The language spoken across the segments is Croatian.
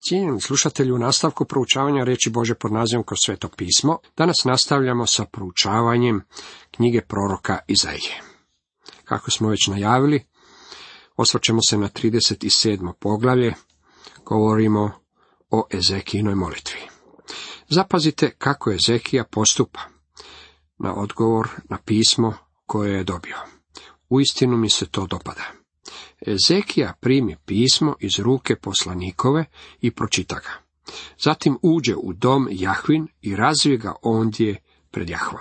Cijenjeni slušatelji, u nastavku proučavanja riječi Bože pod nazivom Kroz sveto pismo, danas nastavljamo sa proučavanjem knjige proroka Izaije. Kako smo već najavili, osvrćemo se na 37. poglavlje, govorimo o Ezekijinoj molitvi. Zapazite kako Ezekija postupa na odgovor na pismo koje je dobio. Uistinu mi se to dopada. Ezekija primi pismo iz ruke poslanikove i pročita ga. Zatim uđe u dom Jahvin i razvije ga ondje pred Jahvom.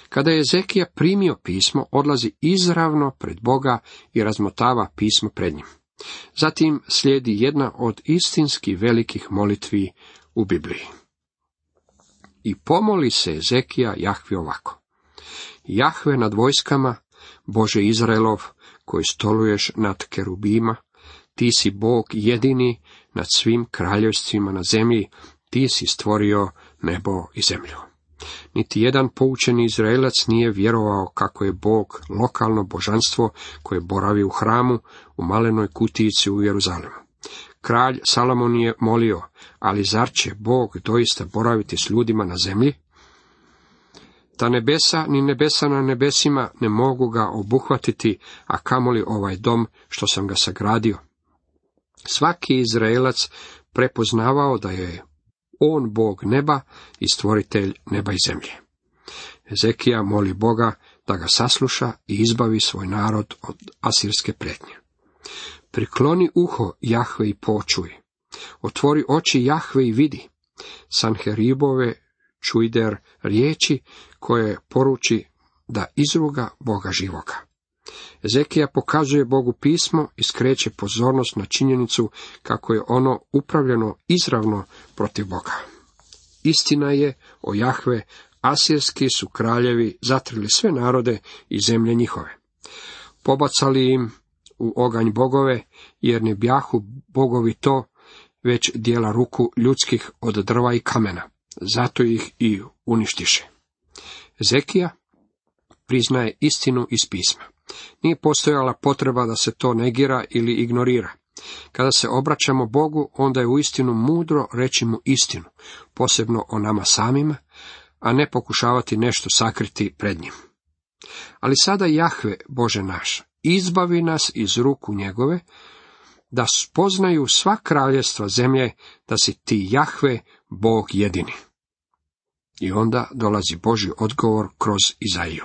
Kada je Ezekija primio pismo, odlazi izravno pred Boga i razmotava pismo pred njim. Zatim slijedi jedna od istinski velikih molitvi u Bibliji. I pomoli se Ezekija Jahvi ovako: Jahve nad vojskama, Bože Izraelov, koji stoluješ nad kerubima, ti si Bog jedini nad svim kraljevstvima na zemlji, ti si stvorio nebo i zemlju. Niti jedan poučeni Izraelac nije vjerovao kako je Bog lokalno božanstvo koje boravi u hramu u malenoj kutijici u Jeruzalemu. Kralj Salomon je molio, ali zar će Bog doista boraviti s ljudima na zemlji? Ta nebesa ni nebesa na nebesima ne mogu ga obuhvatiti, a kamoli ovaj dom što sam ga sagradio. Svaki Izraelac prepoznavao da je on Bog neba i stvoritelj neba i zemlje. Ezekija moli Boga da ga sasluša i izbavi svoj narod od asirske prijetnje. Prikloni uho Jahve i počuj. Otvori oči Jahve i vidi. Sanheribove čujder riječi koje poruči da izruga Boga živoga. Ezekija pokazuje Bogu pismo i skreće pozornost na činjenicu kako je ono upravljeno izravno protiv Boga. Istina je o Jahve, asirski su kraljevi zatrli sve narode i zemlje njihove. Pobacali im u oganj bogove, jer ne bjahu bogovi to, već dijela ruku ljudskih od drva i kamena. Zato ih i uništiše. Ezekija priznaje istinu iz pisma. Nije postojala potreba da se to negira ili ignorira. Kada se obraćamo Bogu, onda je uistinu mudro reći mu istinu, posebno o nama samima, a ne pokušavati nešto sakriti pred njim. Ali sada Jahve, Bože naš, izbavi nas iz ruku njegove, da spoznaju sva kraljevstva zemlje, da si ti Jahve, Bog jedini. I onda dolazi Božji odgovor kroz Izaiju.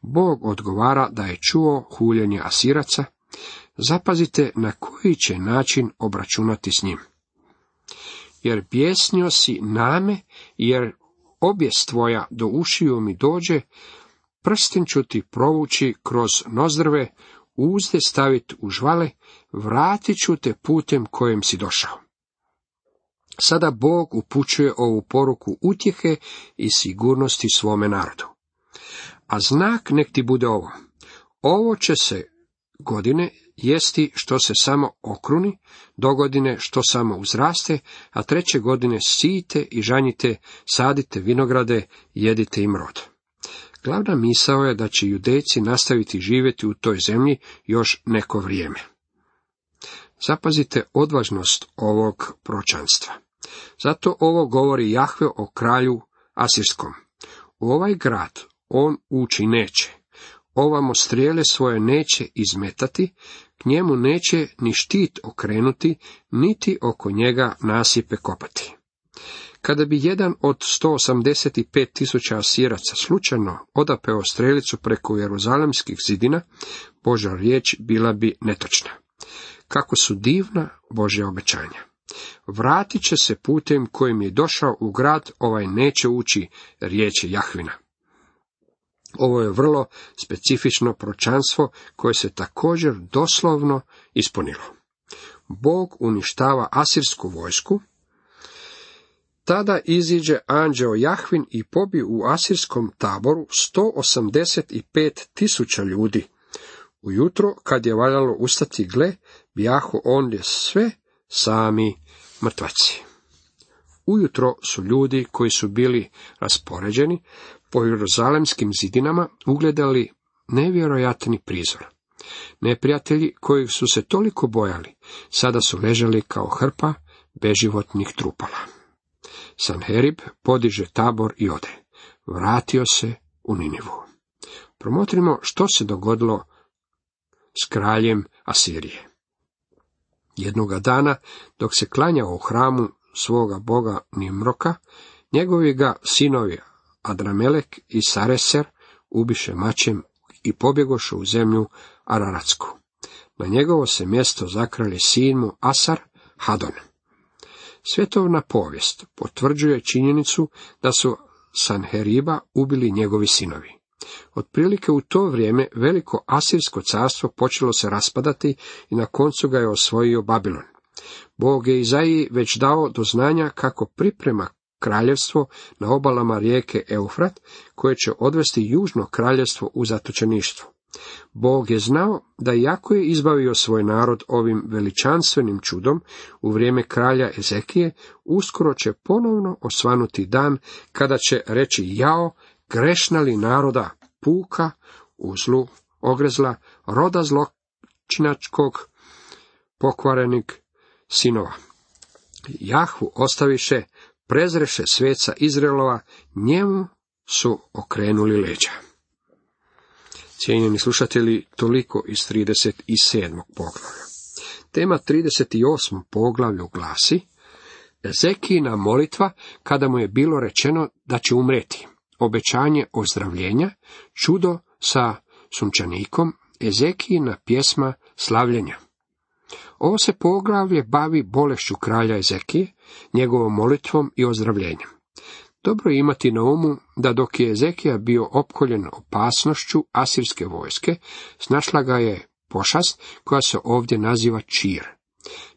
Bog odgovara da je čuo huljenje Asiraca. Zapazite na koji će način obračunati s njim. Jer bjesnio si name, jer objes tvoja do ušiju mi dođe, prsten ću ti provući kroz nozdrve, uzde staviti u žvale, vratit ću te putem kojem si došao. Sada Bog upućuje ovu poruku utjehe i sigurnosti svome narodu. A znak nek ti bude ovo. Ovo će se godine jesti što se samo okruni, dogodine što samo uzraste, a treće godine sijte i žanjite, sadite vinograde, jedite im rod. Glavna misao je da će Judejci nastaviti živjeti u toj zemlji još neko vrijeme. Zapazite odvažnost ovog proročanstva. Zato ovo govori Jahve o kralju asirskom. U ovaj grad on ući neće, ovamo strijele svoje neće izmetati, k njemu neće ni štit okrenuti, niti oko njega nasipe kopati. Kada bi jedan od 185.000 Asiraca slučajno odapeo strelicu preko jeruzalemskih zidina, Božja riječ bila bi netočna. Kako su divna Božja obećanja. Vratit će se putem kojim je došao u grad, ovaj neće ući, riječ je Jahvina. Ovo je vrlo specifično proročanstvo koje se također doslovno ispunilo. Bog uništava asirsku vojsku. Tada iziđe anđeo Jahvin i pobi u asirskom taboru 185.000 ljudi. Ujutro, kad je valjalo ustati, gle, bijahu ondje sve sami mrtvaci. Ujutro su ljudi koji su bili raspoređeni po jeruzalemskim zidinama ugledali nevjerojatni prizor. Neprijatelji koji su se toliko bojali, sada su ležali kao hrpa beživotnih trupala. Sanherib podiže tabor i ode. Vratio se u Ninivu. Promotrimo što se dogodilo s kraljem Asirije. Jednoga dana, dok se klanjao u hramu svoga boga Nimroka, njegovi ga sinovi Adramelek i Sareser ubiše mačem i pobjegoše u zemlju Araratsku. Na njegovo se mjesto zakralje sin mu Asar Hadon. Svjetovna povijest potvrđuje činjenicu da su Sanheriba ubili njegovi sinovi. Otprilike u to vrijeme veliko asirsko carstvo počelo se raspadati i na koncu ga je osvojio Babilon. Bog je Izaiji već dao do znanja kako priprema kraljevstvo na obalama rijeke Eufrat, koje će odvesti južno kraljevstvo u zatočeništvo. Bog je znao da iako je izbavio svoj narod ovim veličanstvenim čudom u vrijeme kralja Ezekije, uskoro će ponovno osvanuti dan kada će reći jao, grešna li naroda, puka, u zlu ogrezla, roda zločinačkog, pokvarenih sinova. Jahvu ostaviše, prezreše sveca Izraelova, njemu su okrenuli leđa. Cijenjeni slušatelji, toliko iz 37. poglavlja. Tema 38. poglavlju glasi Ezekijina molitva kada mu je bilo rečeno da će umreti, obećanje ozdravljenja, čudo sa sunčanikom, Ezekijina pjesma slavljenja. Ovo se poglavlje bavi bolešću kralja Ezekije, njegovom molitvom i ozdravljenjem. Dobro je imati na umu da dok je Ezekija bio opkoljen opasnošću asirske vojske, snašla ga je pošast koja se ovdje naziva čir.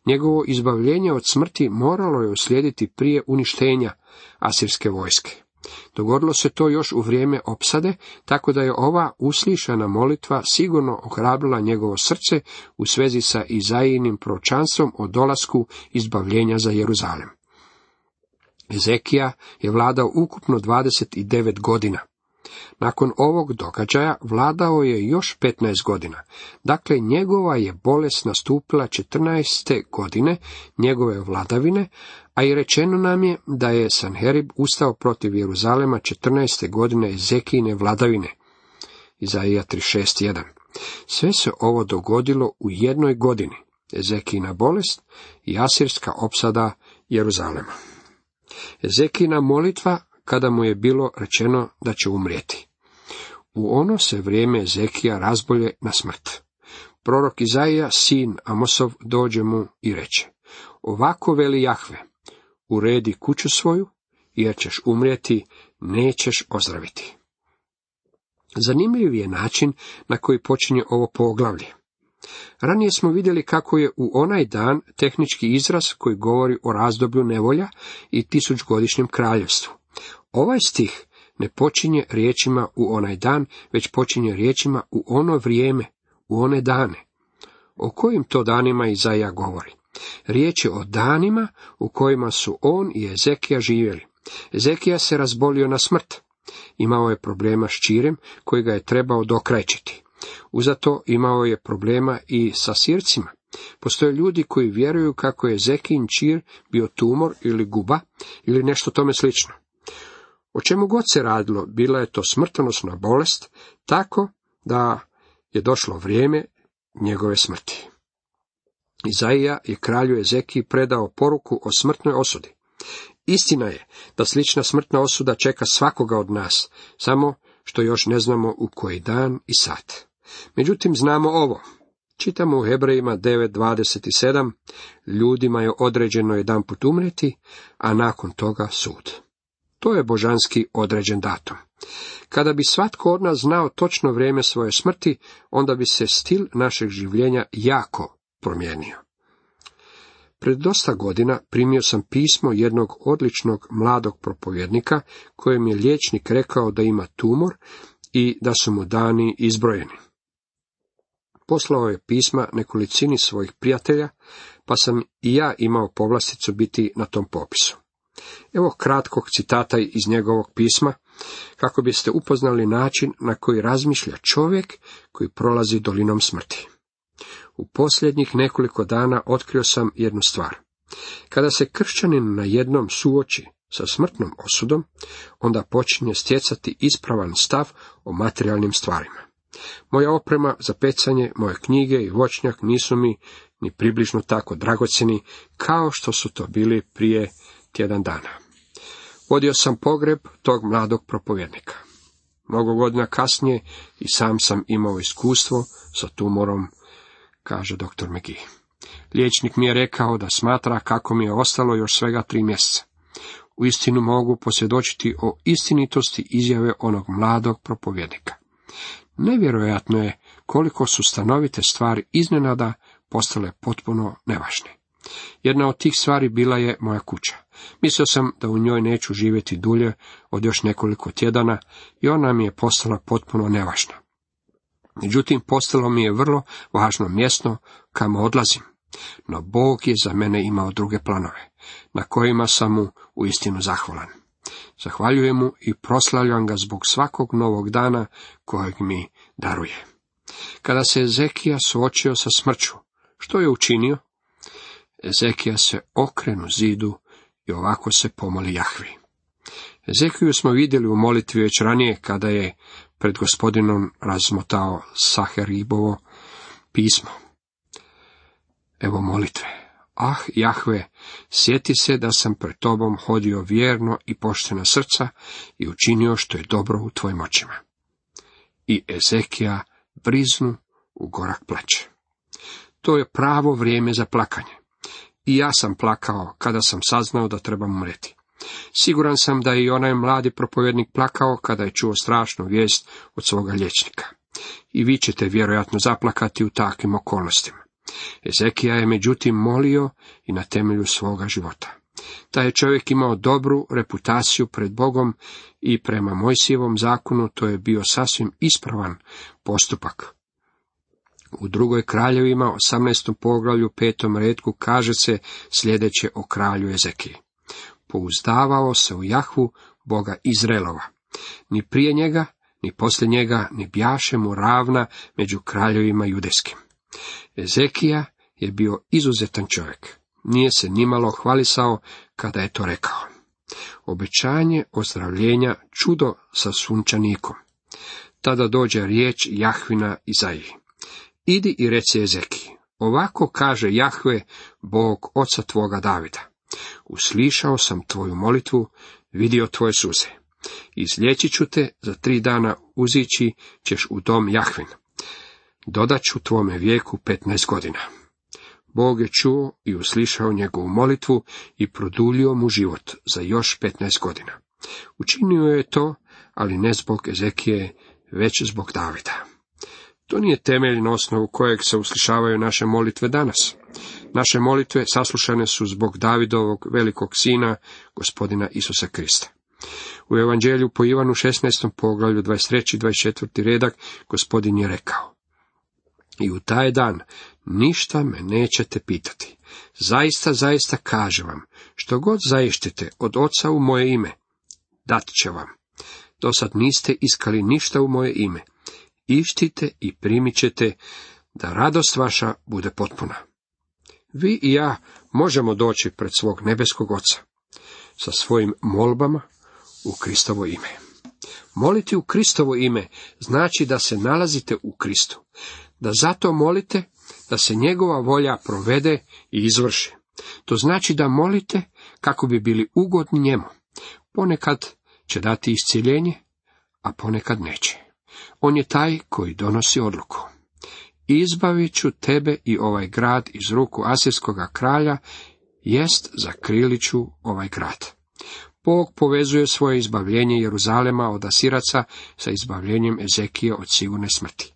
Njegovo izbavljenje od smrti moralo je uslijediti prije uništenja asirske vojske. Dogodilo se to još u vrijeme opsade, tako da je ova uslišana molitva sigurno ohrabrila njegovo srce u svezi sa Izaijinim proročanstvom o dolasku izbavljenja za Jeruzalem. Ezekija je vladao ukupno 29 godina. Nakon ovog događaja vladao je još 15 godina. Dakle, njegova je bolest nastupila 14. godine njegove vladavine, a i rečeno nam je da je Sanherib ustao protiv Jeruzalema 14. godine Ezekijine vladavine. Izaija 36.1. Sve se ovo dogodilo u jednoj godini. Ezekijina bolest i asirska opsada Jeruzalema. Ezekijina molitva kada mu je bilo rečeno da će umrijeti. U ono se vrijeme Ezekija razbolje na smrt. Prorok Izaija, sin Amosov, dođe mu i reče: ovako veli Jahve, uredi kuću svoju, jer ćeš umrijeti, nećeš ozdraviti. Zanimljiv je način na koji počinje ovo poglavlje. Ranije smo vidjeli kako je u onaj dan tehnički izraz koji govori o razdoblju nevolja i 1000-godišnjem kraljevstvu. Ovaj stih ne počinje riječima u onaj dan, već počinje riječima u ono vrijeme, u one dane. O kojim to danima Izaija govori? Riječ je o danima u kojima su on i Ezekija živjeli. Ezekija se razbolio na smrt. Imao je problema s čirem koji ga je trebao dokrajčiti. Uzato imao je problema i sa sircima. Postoje ljudi koji vjeruju kako je Ezekijin čir bio tumor ili guba ili nešto tome slično. O čemu god se radilo, bila je to smrtonosna bolest, tako da je došlo vrijeme njegove smrti. Izaija je kralju Ezekiji predao poruku o smrtnoj osudi. Istina je da slična smrtna osuda čeka svakoga od nas, samo što još ne znamo u koji dan i sat. Međutim, znamo ovo. Čitamo u Hebrejima 9.27, ljudima je određeno jedanput umrijeti, a nakon toga sud. To je božanski određen datum. Kada bi svatko od nas znao točno vrijeme svoje smrti, onda bi se stil našeg življenja jako promijenio. Pred dosta godina primio sam pismo jednog odličnog mladog propovjednika, kojem je liječnik rekao da ima tumor i da su mu dani izbrojeni. Poslao je pisma nekolicini svojih prijatelja, pa sam i ja imao povlasticu biti na tom popisu. Evo kratkog citata iz njegovog pisma, kako biste upoznali način na koji razmišlja čovjek koji prolazi dolinom smrti. U posljednjih nekoliko dana otkrio sam jednu stvar. Kada se kršćanin na jednom suoči sa smrtnom osudom, onda počinje stjecati ispravan stav o materijalnim stvarima. Moja oprema za pecanje, moje knjige i voćnjak nisu mi ni približno tako dragocjeni kao što su to bili prije tjedan dana. Vodio sam pogreb tog mladog propovjednika. Mnogo godina kasnije i sam imao iskustvo sa tumorom, kaže dr. McGee. Liječnik mi je rekao da smatra kako mi je ostalo još svega 3 mjeseca. Uistinu mogu posvjedočiti o istinitosti izjave onog mladog propovjednika. Nevjerojatno je koliko su stanovite stvari iznenada postale potpuno nevažne. Jedna od tih stvari bila je moja kuća. Mislio sam da u njoj neću živjeti dulje od još nekoliko tjedana i ona mi je postala potpuno nevažna. Međutim, postalo mi je vrlo važno mjesto kamo odlazim. No Bog je za mene imao druge planove, na kojima sam mu uistinu zahvalan. Zahvaljujem mu i proslavljam ga zbog svakog novog dana kojeg mi daruje. Kada se Ezekija suočio sa smrću, što je učinio? Ezekija se okrenu zidu i ovako se pomoli Jahvi. Ezekiju smo vidjeli u molitvi već ranije kada je pred Gospodinom razmotao Saheribovo pismo. Evo molitve. Ah, Jahve, sjeti se da sam pred tobom hodio vjerno i poštena srca i učinio što je dobro u tvojim očima. I Ezekija briznu u gorak plače. To je pravo vrijeme za plakanje. I ja sam plakao kada sam saznao da trebam umreti. Siguran sam da je i onaj mladi propovjednik plakao kada je čuo strašnu vijest od svoga liječnika. I vi ćete vjerojatno zaplakati u takvim okolnostima. Ezekija je međutim molio i na temelju svoga života. Taj je čovjek imao dobru reputaciju pred Bogom i prema Mojsijevom zakonu to je bio sasvim ispravan postupak. U 2. Kraljevima 18. poglavlju 5. retku kaže se sljedeće o kralju Ezekiji. Pouzdavao se u Jahvu, Boga Izraelova. Ni prije njega, ni poslije njega, ni bjaše mu ravna među kraljevima judejskim. Ezekija je bio izuzetan čovjek. Nije se nimalo hvalisao kada je to rekao. Obećanje ozdravljenja, čudo sa sunčanikom. Tada dođe riječ Jahvina Izaiji. Idi i reci Ezekiji, ovako kaže Jahve, Bog oca tvoga Davida. Uslišao sam tvoju molitvu, vidio tvoje suze. Izliječit ću te, za 3 dana uzići ćeš u dom Jahvin. Dodat ću tvome vijeku 15 godina. Bog je čuo i uslišao njegovu molitvu i produljio mu život za još 15 godina. Učinio je to, ali ne zbog Ezekije, već zbog Davida. To nije temelj na osnovu kojeg se uslišavaju naše molitve danas. Naše molitve saslušane su zbog Davidovog velikog sina, Gospodina Isusa Krista. U Evanđelju po Ivanu 16. poglavlju 23. i 24. redak Gospodin je rekao: I u taj dan ništa me nećete pitati. Zaista, zaista kažem vam, što god zaištite od Oca u moje ime, dat će vam. Dosad niste iskali ništa u moje ime. Ištite i primit ćete, da radost vaša bude potpuna. Vi i ja možemo doći pred svog nebeskog Oca sa svojim molbama u Kristovo ime. Moliti u Kristovo ime znači da se nalazite u Kristu, da zato molite da se njegova volja provede i izvrši. To znači da molite kako bi bili ugodni njemu. Ponekad će dati iscjeljenje, a ponekad neće. On je taj koji donosi odluku. Izbavit ću tebe i ovaj grad iz ruku asirskoga kralja, jest zakrilit ću ovaj grad. Bog povezuje svoje izbavljenje Jeruzalema od Asiraca sa izbavljenjem Ezekije od sigurne smrti.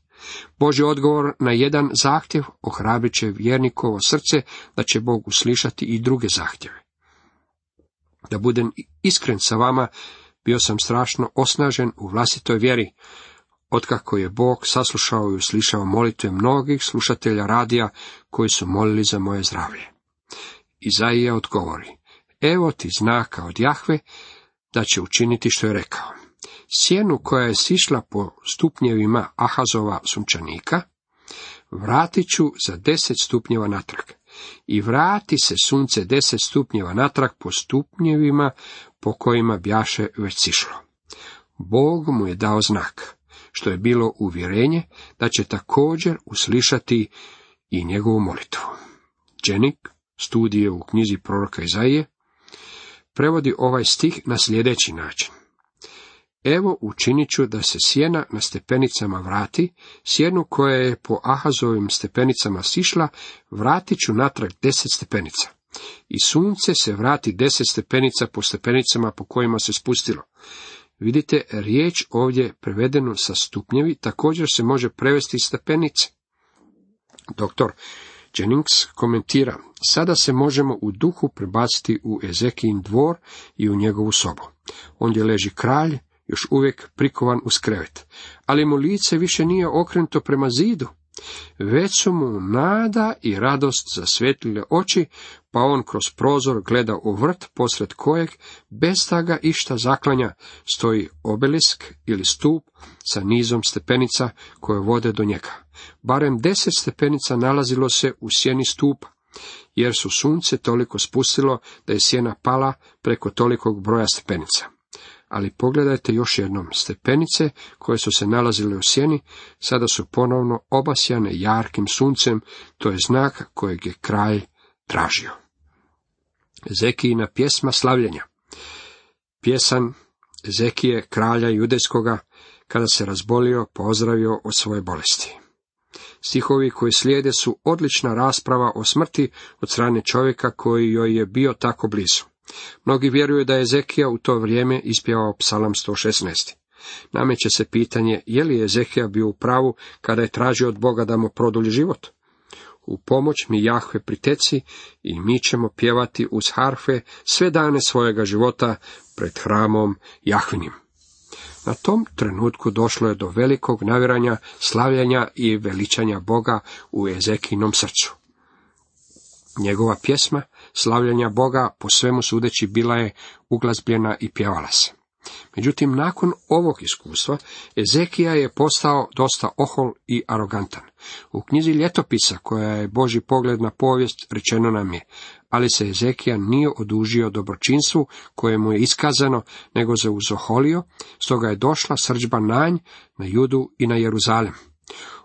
Božji odgovor na jedan zahtjev ohrabrit će vjernikovo srce da će Bog uslišati i druge zahtjeve. Da budem iskren sa vama, bio sam strašno osnažen u vlastitoj vjeri, otkako je Bog saslušao i uslišao molitve mnogih slušatelja radija koji su molili za moje zdravlje. Izaija odgovori: Evo ti znaka od Jahve da će učiniti što je rekao. Sjenu koja je sišla po stupnjevima Ahazova sunčanika, vratit ću za 10 stupnjeva natrag. i vrati se sunce 10 stupnjeva natrag po stupnjevima po kojima bjaše već sišlo. Bog mu je dao znak, što je bilo uvjerenje da će također uslišati i njegovu molitvu. Jennings, studije u knjizi proroka Izaije, prevodi ovaj stih na sljedeći način. Evo učinit ću da se sjena na stepenicama vrati, sjenu koja je po Ahazovim stepenicama sišla, vratit ću natrag 10 stepenica. I sunce se vrati 10 stepenica po stepenicama po kojima se spustilo. Vidite, riječ ovdje prevedenu sa stupnjevi također se može prevesti stepenice. Dr. Jennings komentira, sada se možemo u duhu prebaciti u Ezekijin dvor i u njegovu sobu. Ondje leži kralj, još uvijek prikovan uz krevet, ali mu lice više nije okrenuto prema zidu, već su mu nada i radost zasvjetlile oči, pa on kroz prozor gleda u vrt, posred kojeg, bez da ga išta zaklanja, stoji obelisk ili stup sa nizom stepenica koje vode do njega. Barem 10 stepenica nalazilo se u sjeni stupa, jer su sunce toliko spustilo da je sjena pala preko tolikog broja stepenica. Ali pogledajte još jednom, stepenice koje su se nalazile u sjeni, sada su ponovno obasjane jarkim suncem, to je znak kojeg je kralj tražio. Ezekijina pjesma slavljenja. Pjesan Ezekije, kralja judejskoga, kada se razbolio, pozdravio od svoje bolesti. Stihovi koji slijede su odlična rasprava o smrti od strane čovjeka koji joj je bio tako blizu. Mnogi vjeruju da je Ezekija u to vrijeme ispjevao psalam 116. Nameće se pitanje, je li Ezekija bio u pravu kada je tražio od Boga da mu produlji život? U pomoć mi Jahve priteci i mi ćemo pjevati uz harfe sve dane svojega života pred hramom Jahvinim. Na tom trenutku došlo je do velikog navjeranja, slavljenja i veličanja Boga u Ezekijinom srcu. Njegova pjesma slavljenja Boga po svemu sudeći bila je uglazbljena i pjevala se. Međutim, nakon ovog iskustva, Ezekija je postao dosta ohol i arogantan. U knjizi Ljetopisa, koja je Božji pogled na povijest, rečeno nam je, ali se Ezekija nije odužio dobročinstvu koje mu je iskazano, nego se uzoholio, stoga je došla srdžba na nj, na Judu i na Jeruzalem.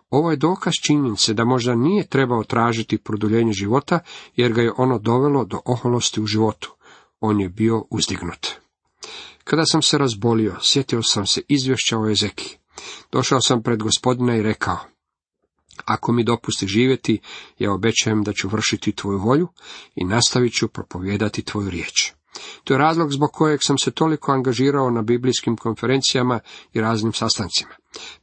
Ovo je dokaz činjenice da možda nije trebao tražiti produljenje života, jer ga je ono dovelo do oholosti u životu. On je bio uzdignut. Kada sam se razbolio, sjetio sam se izvješća o Ezekiji. Došao sam pred Gospodina i rekao, ako mi dopusti živjeti, ja obećajem da ću vršiti tvoju volju i nastavit ću propovijedati tvoju riječ. To je razlog zbog kojeg sam se toliko angažirao na biblijskim konferencijama i raznim sastancima.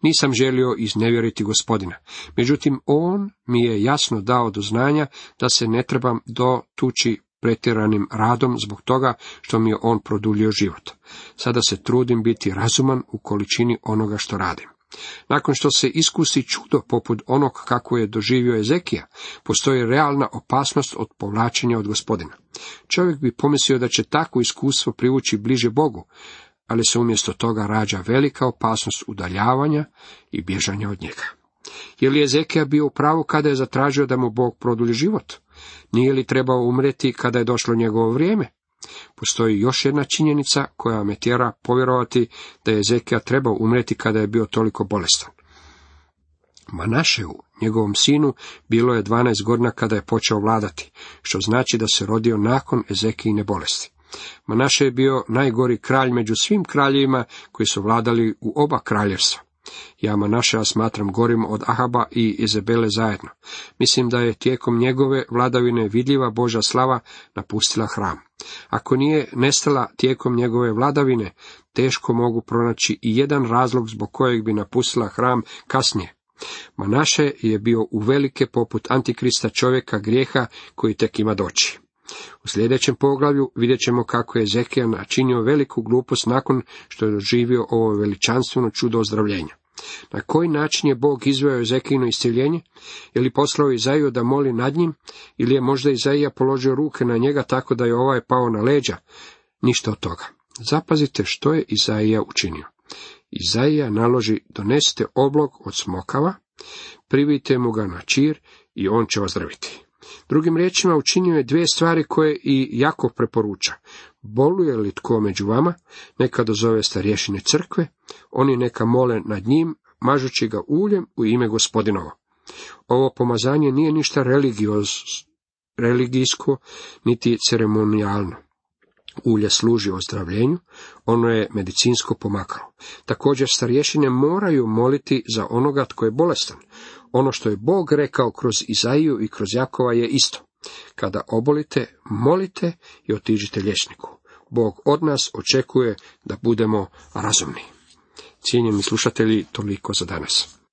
Nisam želio iznevjeriti Gospodina, međutim on mi je jasno dao do znanja da se ne trebam dotući pretjeranim radom zbog toga što mi je on produljio život. Sada se trudim biti razuman u količini onoga što radim. Nakon što se iskusi čudo poput onog kako je doživio Ezekija, postoji realna opasnost od povlačenja od Gospodina. Čovjek bi pomislio da će takvo iskustvo privući bliže Bogu, ali se umjesto toga rađa velika opasnost udaljavanja i bježanja od njega. Je li Ezekija bio u pravu kada je zatražio da mu Bog produlji život? Nije li trebao umrijeti kada je došlo njegovo vrijeme? Postoji još jedna činjenica koja me tjera povjerovati da je Ezekija trebao umrijeti kada je bio toliko bolestan. Manašeu, njegovom sinu, bilo je 12 godina kada je počeo vladati, što znači da se rodio nakon Ezekijine bolesti. Manaše je bio najgori kralj među svim kraljevima koji su vladali u oba kraljevstva. Ja Manašea smatram gorim od Ahaba i Izabele zajedno. Mislim da je tijekom njegove vladavine vidljiva Božja slava napustila hram. Ako nije nestala tijekom njegove vladavine, teško mogu pronaći i jedan razlog zbog kojeg bi napustila hram kasnije. Manaše je bio uvelike poput antikrista, čovjeka grijeha koji tek ima doći. U sljedećem poglavlju vidjet ćemo kako je Ezekija načinio veliku glupost nakon što je doživio ovo veličanstveno čudo ozdravljenja. Na koji način je Bog izveo Ezekijino iscjeljenje? Je li poslao Izaiju da moli nad njim, ili je možda Izaija položio ruke na njega tako da je ovaj pao na leđa? Ništa od toga. Zapazite što je Izaija učinio. Izaija naloži, donesite oblog od smokava, privijte mu ga na čir i on će ozdraviti. Drugim riječima, učinio je dvije stvari koje i Jakov preporuča. Boluje li tko među vama, neka dozove starješine crkve, oni neka mole nad njim, mažući ga uljem u ime Gospodinovo. Ovo pomazanje nije ništa religijsko, niti ceremonijalno. Ulje služi ozdravljenju, ono je medicinsko pomakalo. Također starješine moraju moliti za onoga tko je bolestan. Ono što je Bog rekao kroz Izaiju i kroz Jakova je isto. Kada obolite, molite i otiđite liječniku. Bog od nas očekuje da budemo razumni. Cijenjeni slušatelji, toliko za danas.